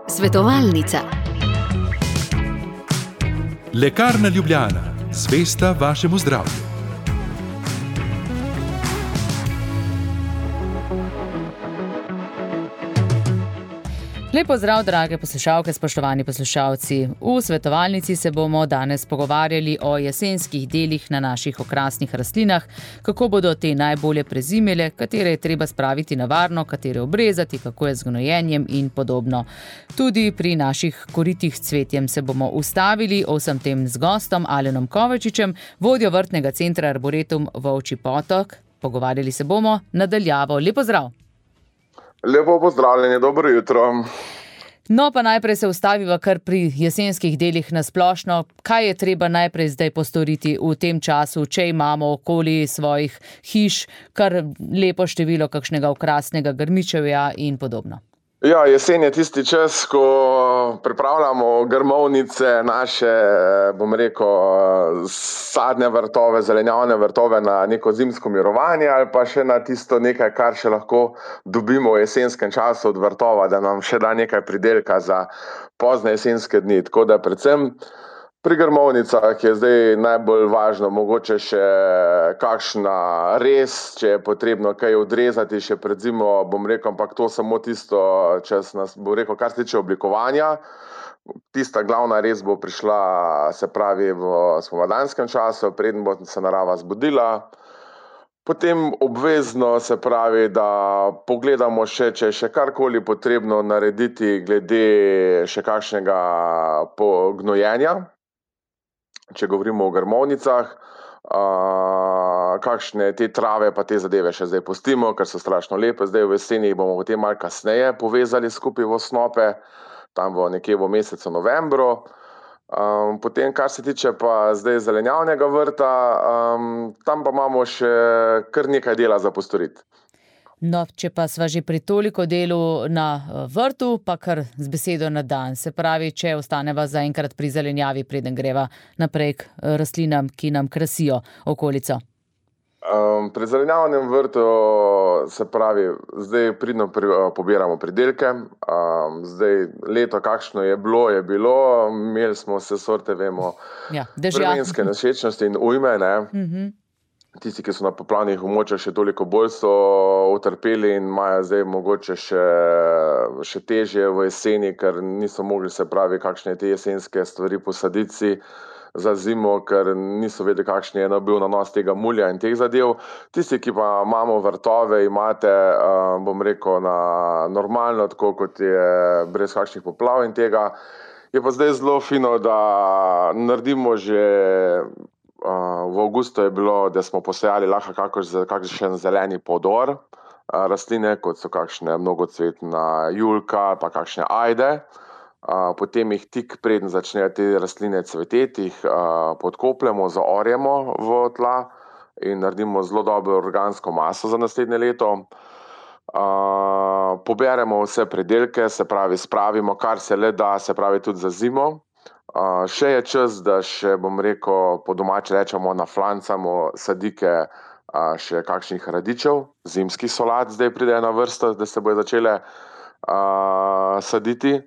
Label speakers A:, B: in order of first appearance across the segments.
A: Svetovalnica.
B: Lekarna Ljubljana, zvesta vašemu zdravju.
C: Lep pozdrav, drage poslušalke, spoštovani poslušalci. V svetovalnici se bomo danes pogovarjali o jesenskih delih na naših okrasnih rastlinah, kako bodo te najbolje prezimile, katere je treba spraviti na varno, katere obrezati, kako je z gnojenjem in podobno. Tudi pri naših koritih s cvetjem se bomo ustavili, o vsem tem z gostom Alenom Kovačičem, vodjo vrtnega centra Arboretum Volčji Potok. Pogovarjali se bomo nadaljavo. Lep pozdrav!
D: Lepo pozdravljeni, dobro jutro.
C: No, pa najprej se ustaviva kar pri jesenskih delih na splošno. Kaj je treba najprej zdaj postoriti v tem času, če imamo okoli svojih hiš kar lepo število kakšnega okrasnega grmičevja in podobno?
D: Ja, jesen je tisti čas, ko pripravljamo grmovnice, naše, sadne vrtove, zelenjavne vrtove na neko zimsko mirovanje ali pa še na tisto nekaj, kar še lahko dobimo v jesenskem času od vrtova, da nam še da nekaj pridelka za pozne jesenske dni. Tako da predvsem pri grmovnicah je zdaj najbolj važno mogoče še kakšna rez, če je potrebno kaj odrezati še pred zimo, ampak to samo tisto, čas nas, kar se tiče oblikovanja. Tista glavna rez bo prišla, se pravi, v spomladanskem času, preden bo se narava zbudila. Potem obvezno, se pravi, da pogledamo še, če je še karkoli potrebno narediti glede še kakšnega gnojenja. Če govorimo o grmovnicah, kakšne te trave pa te zadeve še zdaj pustimo, ker so strašno lepe. Zdaj v jeseni bomo potem malo kasneje povezali skupaj v osnope, tam nekje v mesecu novembru. Potem, kar se tiče pa zdaj zelenjavnega vrta, tam pa imamo še kar nekaj dela za postoriti.
C: No, če pa sva že pri toliko delu na vrtu, pa kar z besedo na dan. Se pravi, če ostaneva zaenkrat pri zelenjavi, preden greva naprej k rastlinam, ki nam krasijo okolico.
D: Pri zelenjavnem vrtu, se pravi, zdaj pridno pobiramo pridelke. Zdaj leto, kakšno je bilo, imeli smo vse sorte, vemo, vremenske nevšečnosti in ujme, ne. Tisti, ki so na poplavnih območjih še toliko bolj so utrpeli in imajo zdaj mogoče še težje v jeseni, ker niso mogli, se pravi, kakšne te jesenske stvari posaditi si za zimo, ker niso vedeli, kakšen je bil nanos tega mulja in teh zadev. Tisti, ki pa imamo vrtove, imate, na normalno, tako kot je, brez kakšnih poplav in tega, je pa zdaj zelo fino, da naredimo že. V avgustu je bilo, da smo posejali lahko kakšen zeleni podor, rastline, kot so kakšne mnogocvetna julka, pa kakšne ajde. Potem jih tik preden začnejo te rastline cveteti, jih podkopljemo, zaorjemo v tla in naredimo zelo dobro organsko maso za naslednje leto. Poberemo vse pridelke, se pravi, spravimo, kar se le da, se pravi, tudi za zimo. Še je čas, da še, po domače rečemo, naflancamo sadike še kakšnih radičev, zimskih solat zdaj pridejo na vrsto, da se bojo začele saditi.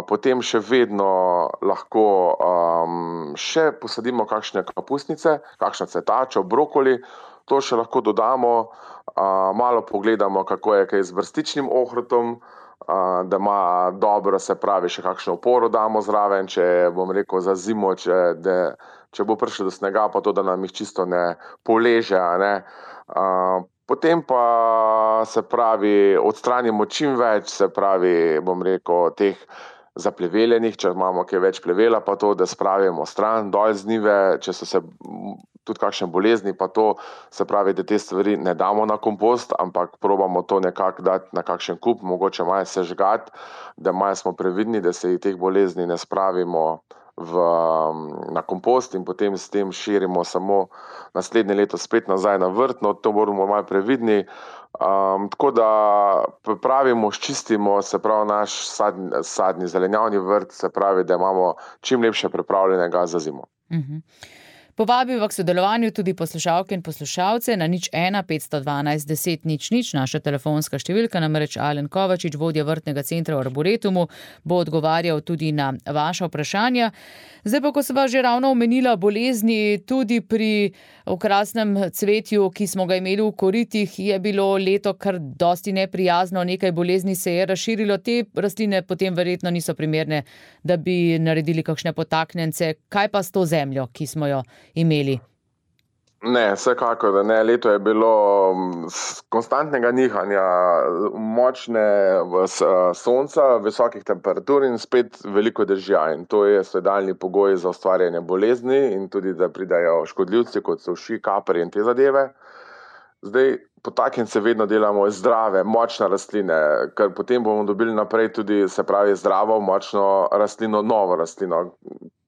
D: Potem še vedno lahko še posadimo kakšne kapusnice, kakšno cvetačo, brokoli, to še lahko dodamo, malo pogledamo, kako je kaj z brstičnim ohrovtom, da ima dobro, se pravi, še kakšno oporo damo zraven, če za zimo, če bo prišlo do snega, pa to, da nam jih čisto ne poleže, a ne. Potem pa, se pravi, odstranimo čim več, se pravi, teh zapleveljenih, če imamo kaj več plevela, pa to, da spravimo stran, dol z njive, če so se tudi kakšne bolezni, pa to, se pravi, da te stvari ne damo na kompost, ampak probamo to nekako dati na kakšen kup, mogoče malo sežgati, da malo smo previdni, da se teh bolezni ne spravimo na kompost in potem s tem širimo samo naslednje leto spet nazaj na vrt, no to moramo malo previdni. Tako da pripravimo, sčistimo, se pravi, naš sadni zelenjavni vrt, se pravi, da imamo čim lepše pripravljenega za zimo.
C: Povabil k sodelovanju tudi poslušalke in poslušalce na 01 512 10 00. Naša telefonska številka, namreč Alen Kovačič, vodja vrtnega centra v Arboretumu, bo odgovarjal tudi na vaša vprašanja. Zdaj pa, ko sem vas že ravno omenila bolezni, tudi pri okrasnem cvetju, ki smo ga imeli v koritih, je bilo leto kar dosti neprijazno, nekaj bolezni se je razširilo, te rastline potem verjetno niso primerne, da bi naredili kakšne potaknjence. Kaj pa s to zemljo, ki smo jo imeli?
D: Ne, vsekakor, da ne. Leto je bilo konstantnega nihanja, močne sonca, visokih temperatur in spet veliko dežja. In to je idealni pogoj za ustvarjanje bolezni in tudi, da pridajo škodljivci, kot so uši, kapri in te zadeve. Zdaj, potaknjence vedno delamo zdrave, močne rastline, ker potem bomo dobili naprej tudi, se pravi, zdravo, močno rastlino, novo rastlino.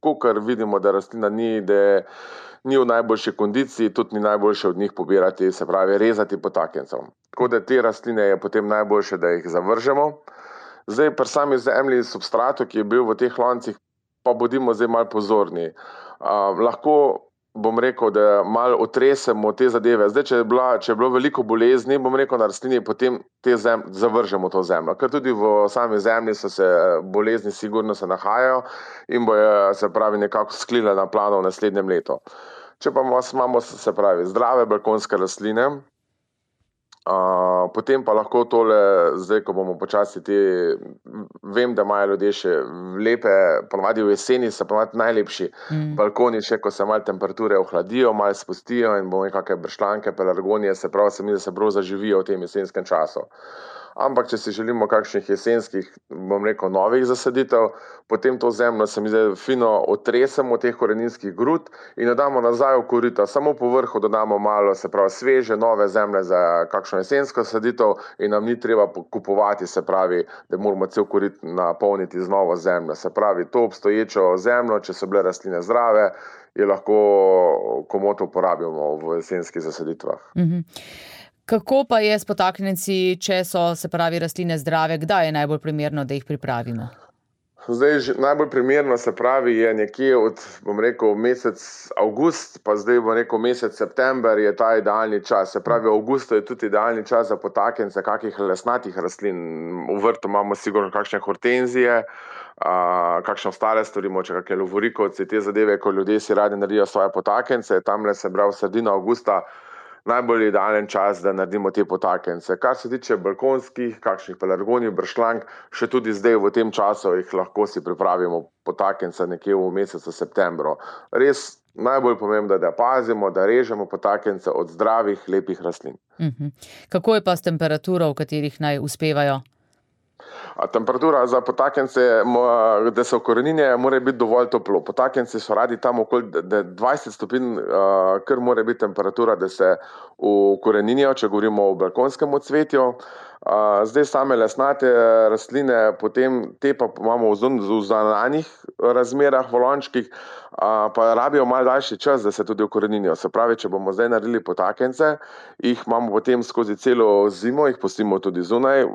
D: Kakor vidimo, da rastlina ni v najboljši kondiciji, tudi ni najboljše od njih pobirati, se pravi, rezati potaknjencev. Tako da te rastline je potem najboljše, da jih zavržemo. Zdaj, pri sami zemlji, substratu, ki je bil v teh loncih, pa bodimo zdaj malo pozorni. Lahko, bom rekel, da malo otresemo te zadeve. Zdaj, če je bilo veliko bolezni, bom rekel, na rastlini, potem zavržemo to zemljo. Ker tudi v sami zemlji so se bolezni sigurno se nahajajo in bojo, se pravi, nekako sklile na plano v naslednjem letu. Če pa imamo, se pravi, zdrave balkonske rastline, potem pa lahko tole, zdaj, ko bomo počasi vem, da imajo ljudje še lepe, ponavadi v jeseni so ponavadi najlepši balkoni, še ko se malo temperature ohladijo, malo spustijo in bomo kakšne bršljanke, pelargonije, se pravi, se mi, da se prav zaživijo v tem jesenskem času. Ampak, če si želimo kakšnih jesenskih, bom rekel, novih zasaditev, potem to zemljo se mi zdaj fino otresemo teh koreninskih grud in jo damo nazaj v korita. Samo po vrhu dodamo malo, se pravi, sveže, nove zemlje za kakšno jesensko saditev in nam ni treba kupovati, se pravi, da moramo cel korit napolniti z novo zemljo. Se pravi, to obstoječo zemljo, če so bile rastline zdrave, je lahko komot uporabimo v jesenskih zasaditvah.
C: Kako pa je s potaknjenci, če so, se pravi, rastline zdrave? Kdaj je najbolj primerno, da jih pripravimo?
D: Zdaj, najbolj primerno, se pravi, je nekje od, bom rekel, mesec avgust, pa zdaj bom rekel mesec september je ta idealni čas. Se pravi, v avgustu je tudi idealni čas za potaknjence kakih lesnatih rastlin. V vrtu imamo sigurno kakšne hortenzije, kakšne ostale stvari, moče kakšne lovorikovci, te zadeve, ko ljudje si radi naredijo svoje potaknjence, tamle se pravi sredina avgusta najbolj idealen čas, da naredimo te potaknjence. Kar se tiče balkonskih, kakšnih pelargonij, bršljank, še tudi zdaj v tem času jih lahko si pripravimo potaknjence nekje v mesecu septembru. Res najbolj pomembno, da pazimo, da režemo potaknjence od zdravih, lepih rastlin.
C: Kako je pa s temperaturo, v katerih naj uspevajo?
D: Temperatura za potaknjence, da se ukoreninijo, mora biti dovolj toplo. Potaknjenci so radi tam okoli 20 stopinj, kar mora biti temperatura, da se ukoreninijo, če govorimo o balkonskem cvetju. Zdaj same lesnate rastline, potem te pa imamo v zunanjih razmerah, v lončkih, pa rabijo malo daljši čas, da se tudi ukoreninijo. Se pravi, če bomo zdaj naredili potaknjence, jih imamo potem skozi celo zimo, jih pustimo tudi zunaj,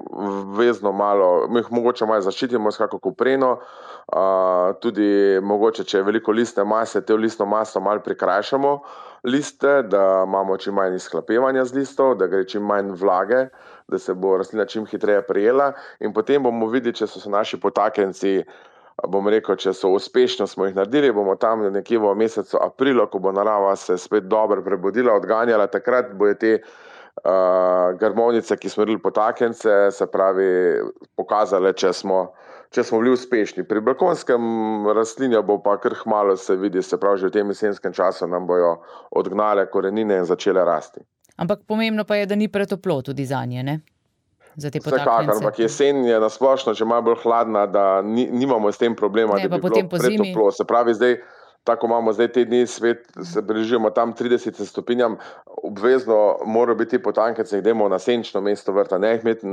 D: vezno malo, mi jih mogoče malo zaščitimo s kako kopreno, tudi mogoče, če je veliko listne mase, te listno maso malo prikrajšamo liste, da imamo čim manj izhlapevanja z listov, da gre čim manj vlage, da se bo rastlina čim hitreje prijela in potem bomo videli, če so se naši potaknjenci, bom rekel, če so uspešno smo jih naredili, bomo tam nekje v mesecu aprilu, ko bo narava se spet dobro prebudila, odganjala, takrat bojo te grmovnice, ki smo naredili potaknjence, se pravi, pokazale, če smo bili uspešni. Pri balkonskem rastlinju bo pa kar kmalu se vidi, se pravi, že v tem jesenskem času nam bojo odgnale korenine in začele rasti.
C: Ampak pomembno pa je, da ni pretoplo tudi zanje, ne? Za te potaknjence.
D: Vsekakor, ampak jesen je nasplošno že malo bolj hladna, da nimamo s tem problema, da bi bilo pretoplo. Se pravi, zdaj, tako imamo zdaj te dni svet, se bližimo tam 30 stopinjam, obvezno morajo biti potaknjence, jih dajmo na senčno mesto vrta, ne jih imeti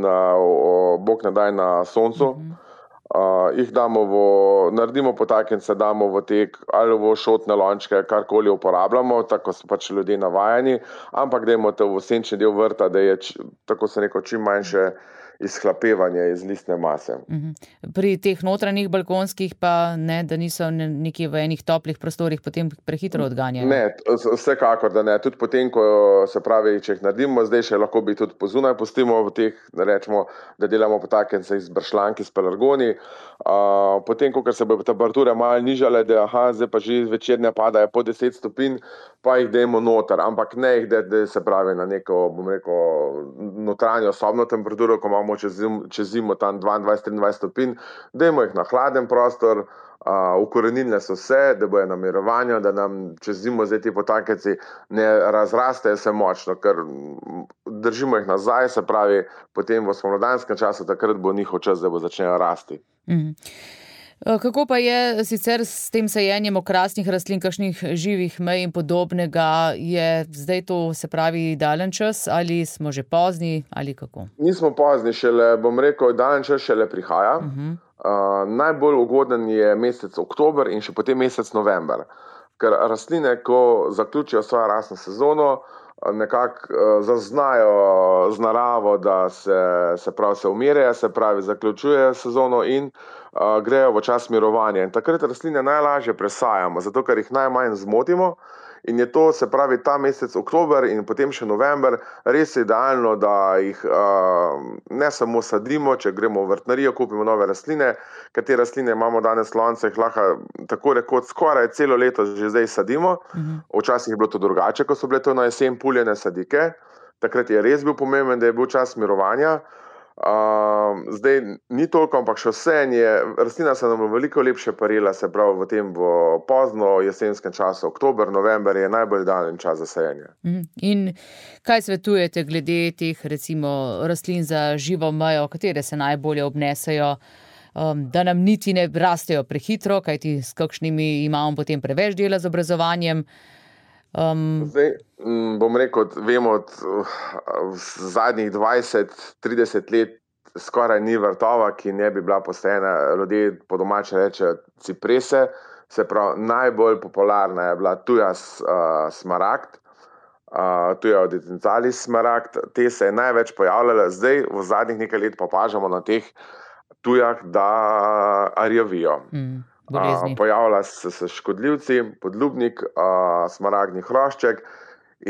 D: bog ne daj na soncu. Jih naredimo potaknjence, damo v tek ali v šotne lončke, karkoli uporabljamo, tako so pač ljudje navajeni, ampak dajmo to v senčni del vrta, da je, tako se neko, čim manjše izhlapevanje iz listne mase.
C: Pri teh notranjih balkonskih pa ne, da niso nekje v enih toplih prostorih potem prehitro odganjene?
D: Ne, vsekakor, da ne. Tudi potem, ko se pravi, če jih naredimo, zdaj še lahko bi tudi pozunaj pustimo v teh, rečemo, da delamo potakence iz bršljanki, s pelargoni. Potem, ko se bo temperature malo nižale, da zdaj pa že zvečer ne padajo po 10 stopinj, pa jih dajmo noter, ampak ne jih da se pravi na neko, bom rekel, notranjo sobno temperaturo, ko imamo čez zimo tam 22-23 stopinj, dajmo jih na hladen prostor, ukoreninile so se, da bojo na mirovanju, da nam čez zimo zdaj ti potaknjenci ne razrastejo se močno, ker držimo jih nazaj, se pravi, potem v spomladanskem času, takrat bo njihov čas, da bo začnejo rasti.
C: Kako pa je sicer s tem sajenjem okrasnih rastlin, kakšnih živih mej in podobnega, je zdaj to, se pravi, idealen čas ali smo že pozni ali kako?
D: Nismo pozni, šele, bom rekel, idealen čas šele prihaja. Najbolj ugoden je mesec oktober in še potem mesec november, ker rastline, ko zaključijo svojo rastno sezono, nekako zaznajo z naravo, da se umirjajo, se pravi, zaključujejo sezono in grejo v čas mirovanja. In takrat rastline najlažje presajamo, zato ker jih najmanj zmotimo. In je to, se pravi, ta mesec oktober in potem še november res idealno, da jih ne samo sadimo, če gremo v vrtnarijo, kupimo nove rastline, ker te rastline imamo danes v loncih, lahko tako rekoč skoraj celo leto že zdaj sadimo. Včasih je bilo to drugače, ko so bile to na jesen puljene sadike. Takrat je res bil pomemben, da je bil čas mirovanja. Zdaj ni toliko, ampak še vseeno rastlina se nam veliko lepše parila, se pravi v tem pozno jesenskem času, oktober, november je najbolj idealen čas za sajenje.
C: In kaj svetujete glede teh recimo rastlin za živo mejo, katere se najbolje obnesejo, da nam niti ne rastejo prehitro, kajti s kakšnimi imamo potem preveč dela z obrazovanjem?
D: Zdaj, bom rekel, vemo od zadnjih 20-30 let skoraj ni vrtova, ki ne bi bila posajena, ljudje po domače rečejo ciprese, se pravi, najbolj popularna je bila tuja smaragd, tuja oditencalis smaragd, te se je največ pojavljala, zdaj v zadnjih nekaj let pa opažamo na teh tujah, da rjavijo. Pojavlja se škodljivci, podlubnik, smaragdni hrošček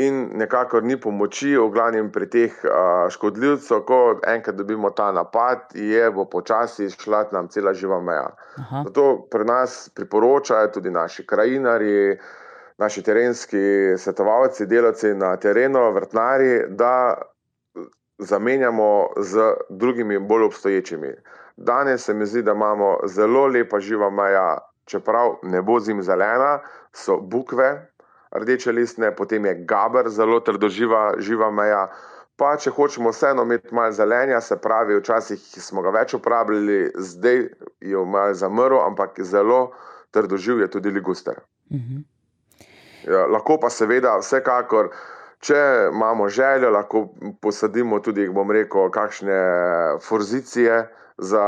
D: in nekako ni pomoči, v glavnem pri teh škodljivcev, ko enkrat dobimo ta napad, bo počasi šla nam cela živa meja. Zato pri nas priporočajo tudi naši krajinarji, naši terenski svetovalci, delavci na terenu, vrtnarji, da zamenjamo z drugimi bolj obstoječimi. Danes se mi zdi, da imamo zelo lepa živa meja, čeprav ne bo zimzelena, so bukve rdeče listne, potem je gaber zelo trdoživa meja, pa če hočemo vseeno imeti malo zelenja, se pravi, včasih smo ga več uporabljali, zdaj je malo zamrl, ampak zelo trdoživ je tudi liguster. Lahko pa seveda vsekakor, če imamo željo, lahko posadimo tudi, bom rekel, kakšne forzicije za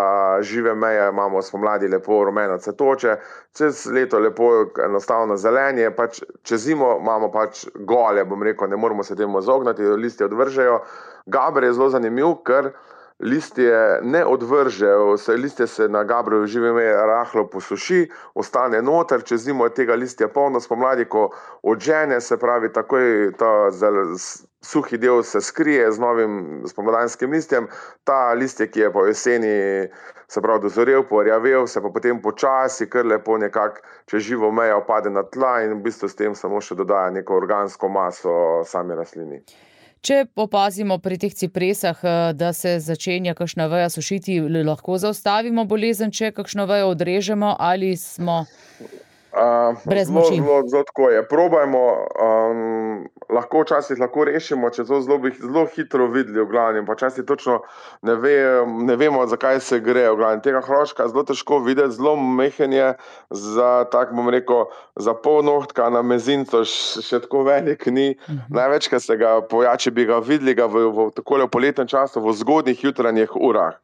D: žive meje, imamo spomladi lepo rumeno cvetoče, čez leto lepo enostavno zelenje, pač čez zimo imamo pač gole, bom rekel, ne moramo se temu izogniti, listje odvržejo. Gaber je zelo zanimiv, ker listje ne odvržejo, listje se na gabrovi žive meje rahlo posuši, ostane noter, čez zimo je tega listja polno, spomladi, ko odžene, se pravi, takoj ta suhi del se skrije z novim spomladanskim listjem, ta listje, ki je po jeseni, se pravi, dozorel, porjavel, se pa potem počasi, kar lepo nekako čez živo mejo pade na tla in v bistvu s tem samo še dodaja neko organsko maso sami rastlini.
C: Če opazimo pri teh cipresah, da se začenja kakšna veja sušiti, lahko zaustavimo bolezen, če kakšno vejo odrežemo ali smo brez moči?
D: Zelo tako je. Probajmo, včasih lahko rešimo, če to zelo hitro videli v glavnem, pa včasih točno ne vemo, zakaj se gre v glavnem. Tega hroščka zelo težko videti, zelo mehen je, tako bom rekel, za pol nohtka na mezincu še tako velik ni. Največkrat se ga pojači, bi ga videli v takole v poletnem času, v zgodnjih jutranjih urah.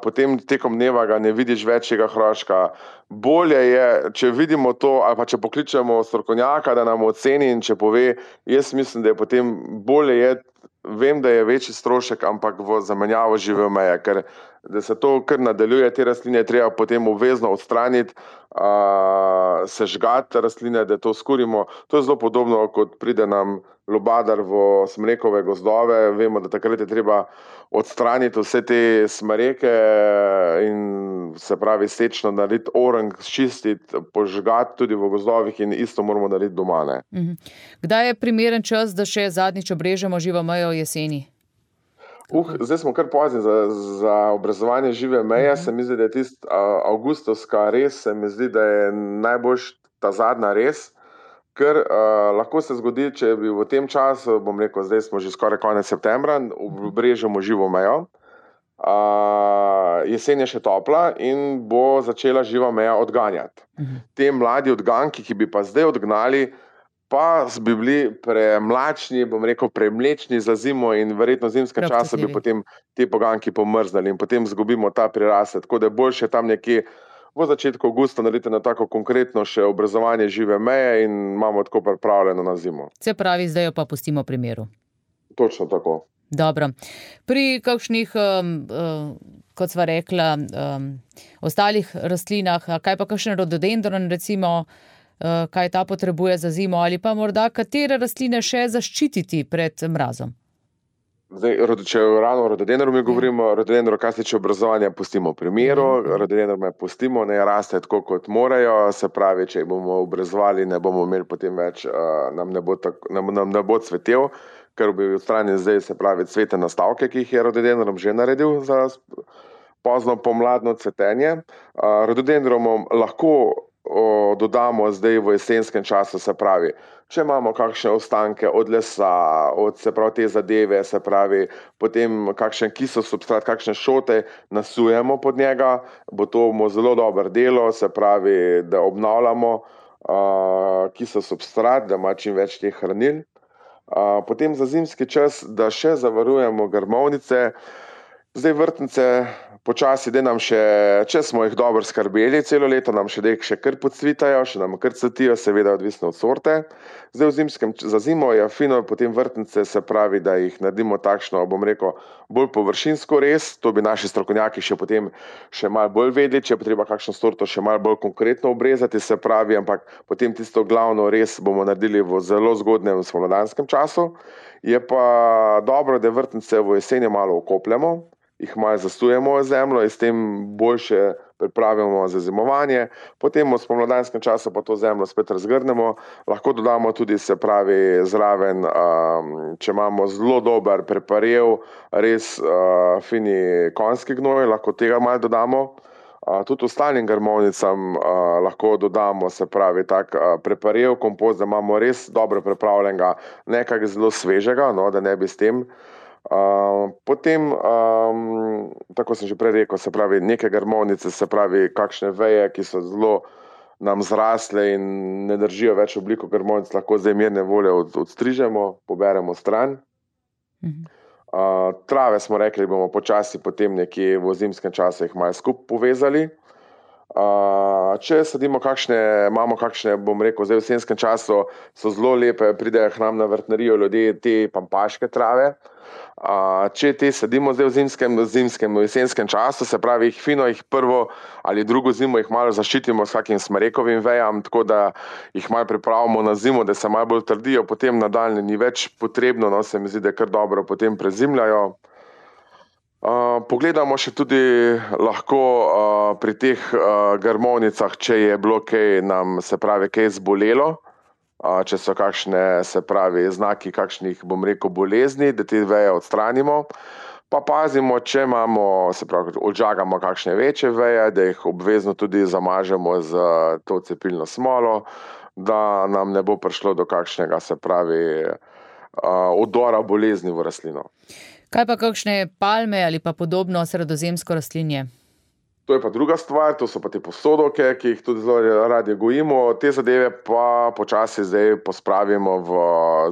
D: Potem tekom dneva ga ne vidiš več tega hroščka. Bolje je, če vidimo to, ali pa če pokličemo strokovnjaka, da nam oceni in če pove, jaz mislim, da je potem bolje vem, da je večji strošek, ampak v zamenjavo žive meje, ker da se to kar nadaljuje, te rastline je treba potem obvezno odstraniti, sežgati rastline, da to skurimo. To je zelo podobno, kot pride nam lubadar v smrekove gozdove. Vemo, da takrat je treba odstraniti vse te smreke in se pravi sečno narediti orang, čistiti, požgati tudi v gozdovih in isto moramo narediti doma.
C: Kdaj je primeren čas, da še zadnjič obrežemo živo mejo jeseni?
D: Zdaj smo kar pozni za obrezovanje žive meje. Se mi zdi, da je tist avgustovska rez, se mi zdi, da je najboljš ta zadnja rez, ker lahko se zgodi, če bi v tem času, bom rekel, zdaj smo že skoraj konec septembra, obrežemo živo mejo. Jesen je še topla in bo začela živa meja odganjati. Te mladi odganki, ki bi pa zdaj odgnali, pa bi bili premlačni, bom rekel, premlečni za zimo in verjetno v zimskem času bi potem te poganki pomrznali in potem zgubimo ta prirastek. Tako da je boljše tam nekje v začetku avgusta narediti na tako konkretno še obrezovanje žive meje in imamo tako pripravljeno na zimo.
C: Se pravi, zdaj jo pa pustimo pri miru.
D: Točno tako.
C: Dobro. Pri kakšnih, kot sva rekla, ostalih rastlinah, kaj pa kakšen rododendron recimo, kaj ta potrebuje za zimo ali pa morda katere rastline še zaščititi pred mrazom?
D: Zdaj, če ravno o rododendru govorimo, rododendro, kar se tiče obrazovanja, pustimo pri miru, rododendro pustimo, ne raste tako, kot morajo, se pravi, če bomo obrezovali, ne bomo imeli potem več, nam ne bo cvetel, ker bi odstranili zdaj, se pravi, cvetne nastavke, ki jih je rododendrom že naredil za pozno pomladno cvetenje. Rododendrom lahko dodamo zdaj v jesenskem času, se pravi, če imamo kakšne ostanke od lesa, od se pravi te zadeve, se pravi, potem kakšen kisel substrat, kakšne šote nasujemo pod njega, bo to zelo dobro delo, se pravi, da obnavljamo kisel substrat, da ima čim več teh hranil. Potem za zimski čas, da še zavarujemo grmovnice, zdaj vrtnice počasi, da nam še, če smo jih dobro skrbeli celo leto, nam še kar podcvitajo, še nam kar cvetijo, seveda odvisno od sorte. Zdaj v zimskem, za zimo je fino potem vrtnice, se pravi, da jih naredimo takšno, bom rekel, bolj površinsko rez, to bi naši strokovnjaki še potem še malo bolj vedeli, če je potreba kakšno sorto še malo bolj konkretno obrezati, se pravi, ampak potem tisto glavno rez bomo naredili v zelo zgodnjem spomladanskem času. Je pa dobro, da vrtnice v jeseni malo okopljamo, jih malo zasujemo v zemljo in s tem boljše pripravimo za zimovanje. Potem v spomladanskem času pa to zemljo spet razgrnemo. Lahko dodamo tudi, se pravi, zraven, če imamo zelo dober preparev, res fini konjski gnoj, lahko tega malo dodamo. Tudi ostalim grmovnicam lahko dodamo, se pravi, tak preparev, kompost, da imamo res dobro pripravljenega, nekaj zelo svežega, no, da ne bi s tem. Potem, tako sem že prej rekel, se pravi, neke grmovnice, se pravi, kakšne veje, ki so zelo nam zrasle in ne držijo več obliko grmovnic, lahko zdaj mirne volje odstrižemo, poberemo stran. Trave smo rekli, bomo počasi potem nekje v zimskem času jih malo skupaj povezali. Če sadimo imamo kakšne, bom rekel, zdaj v jesenskem času so zelo lepe, pridejo k nam na vrtnarijo ljudje te pampaške trave. Če te sadimo zdaj v jesenskem času, se pravi, jih prvo ali drugo zimo jih malo zaščitimo s kakim smrekovim vejam, tako da jih malo pripravimo na zimo, da se malo bolj trdijo, potem nadaljnje ni več potrebno, no, se mi zdi, da kar dobro potem prezimljajo. Pogledamo še tudi lahko pri teh grmovnicah, če je bilo kaj nam, se pravi, kaj zbolelo, če so kakšne, se pravi, znaki kakšnih, bom rekel, bolezni, da te veje odstranimo. Pa pazimo, če imamo, se pravi, odžagamo kakšne večje veje, da jih obvezno tudi zamažemo z to cepilno smolo, da nam ne bo prišlo do kakšnega, se pravi, odora bolezni v rastlino.
C: Kaj pa kakšne palme ali pa podobno sredozemsko rastlinje?
D: To je pa druga stvar, to so pa te posodovke, ki jih tudi zelo radi gojimo. Te zadeve pa počasi zdaj pospravimo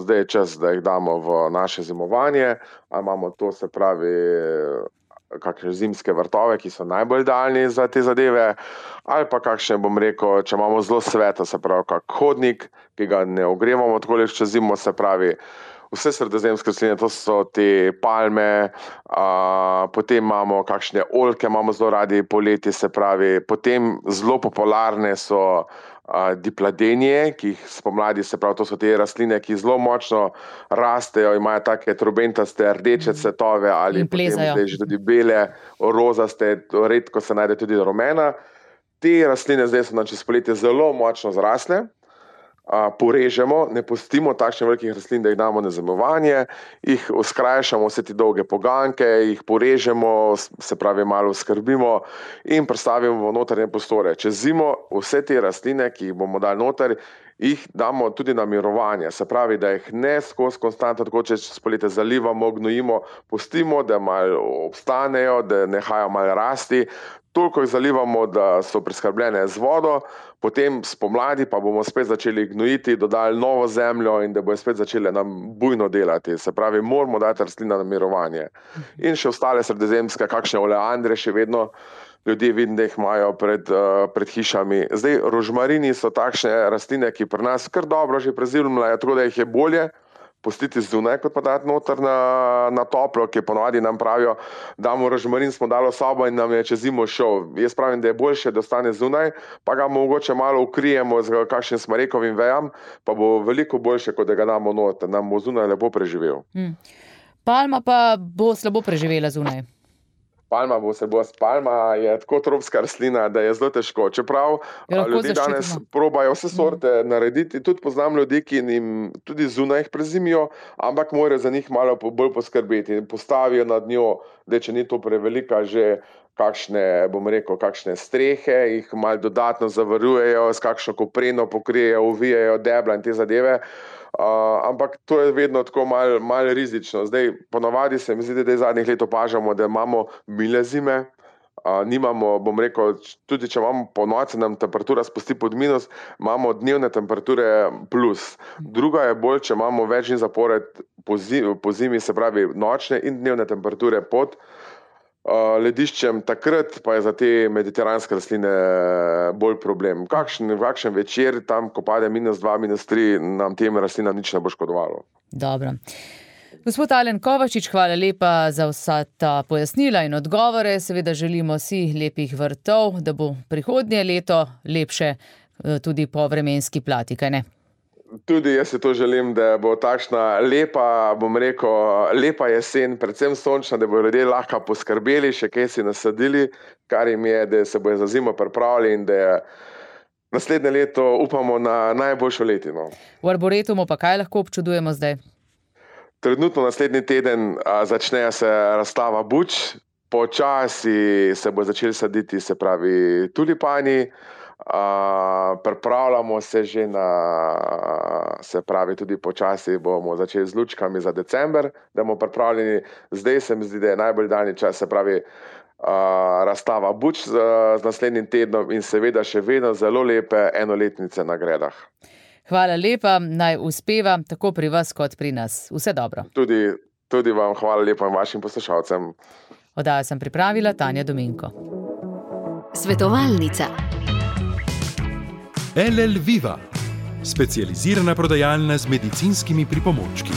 D: zdaj je čas, da jih damo v naše zimovanje. Imamo to, se pravi, kakšne zimske vrtove, ki so najbolj idealni za te zadeve, ali pa kakšne, bom rekel, če imamo zelo sveto, se pravi, kak hodnik, ki ga ne ogrevamo tako čez zimo, se pravi, vse sredozemske rastline, to so te palme, potem imamo kakšne oljke, imamo zelo radi poleti, se pravi, potem zelo popularne so dipladenije, ki jih spomladi, se pravi, to so te rastline, ki zelo močno rastejo, imajo take trobentaste rdeče cvetove ali potem zdaj že tudi bele, rozaste, redko se najde tudi rumena. Te rastline zdaj so nam čez poletje zelo močno zrasle, porežemo, ne pustimo takšnih velikih rastlin, da jih damo na zamovanje, jih skrajšamo vse te dolge poganke, jih porežemo, se pravi malo skrbimo in prestavimo v notranje prostore. Čez zimo vse te rastline, ki jih bomo dali noter, jih damo tudi na mirovanje, se pravi, da jih ne skozi konstantno, tako čez poletje zalivamo, gnojimo, pustimo, da malo obstanejo, da nehajo malo rasti, toliko jih zalivamo, da so preskrbljene z vodo, potem spomladi pa bomo spet začeli gnojiti, dodali novo zemljo in da bojo spet začele nam bujno delati. Se pravi, moramo dati rastlina na mirovanje. In še ostale sredozemske, kakšne oleandre še vedno ljudje vidim, da jih imajo pred hišami. Zdaj, rožmarini so takšne rastline, ki pri nas kar dobro že prezimljajo, tako da jih je bolje pustiti zunaj, kot pa dati noter na toplo, ki ponovadi nam pravijo, damo rožmarin, smo dali v sobo in nam je čez zimo šel. Jaz pravim, da je boljše, da ostane zunaj, pa ga mogoče malo ukrijemo z kakšnim smrekovim vejam, pa bo veliko boljše, kot da ga damo noter, nam bo zunaj lepo preživel.
C: Palma pa bo slabo preživela zunaj.
D: Palma je tako tropska rastlina, da je zelo težko. Čeprav ljudje danes probajo vse sorte narediti, tudi poznam ljudi, ki jim tudi zunaj jih prezimijo, ampak morajo za njih malo bolj poskrbeti. Postavijo nad njo, da če ni to prevelika, že kakšne strehe, jih malo dodatno zavarujejo, s kakšno kopreno pokrijejo, uvijajo debla in te zadeve. Ampak to je vedno tako malo rizično. Zdaj, ponovadi se mi zdi, da zadnjih let opažamo, da imamo mile zime, nimamo, bom rekel, tudi če imamo po noči, nam temperatura spusti pod minus, imamo dnevne temperature plus. Druga je bolj, če imamo več dni zapored po zimi, se pravi nočne in dnevne temperature pod lediščem, takrat pa je za te mediteranske rastline bolj problem. Kakšen večer, tam ko pade -2, -3, nam tem rastlinam nič ne bo škodovalo.
C: Dobro. Gospod Alen Kovačič, hvala lepa za vsa ta pojasnila in odgovore. Seveda želimo si lepih vrtov, da bo prihodnje leto lepše tudi po vremenski plati, kaj ne?
D: Tudi jaz si to želim, da bo takšna lepa, bom rekel, lepa jesen, predvsem sončna, da bodo ljudje lahko poskrbeli, še kaj si nasadili, kar jim je, da se bojo za zimo pripravili in da naslednje leto upamo na najboljšo letino.
C: V Arboretumu pa kaj lahko občudujemo zdaj?
D: Trenutno naslednji teden začne se razstava buč, počasi se bo začeli saditi, se pravi, tulipani, pripravljamo se že se pravi, tudi počasi bomo začeli z lučkami za december, da bomo pripravljeni. Zdaj se mi zdi, da je najbolj daljni čas, se pravi, razstava buč z naslednjim tednom in seveda še vedno zelo lepe enoletnice na gredah.
C: Hvala lepa, naj uspeva tako pri vas kot pri nas. Vse dobro.
D: Tudi vam hvala lepa in vašim poslušalcem.
C: Oddajo sem pripravila Tanja Dominko.
A: Svetovalnica.
B: LL Viva, specializirana prodajalna z medicinskimi pripomočki.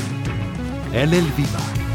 B: LL Viva.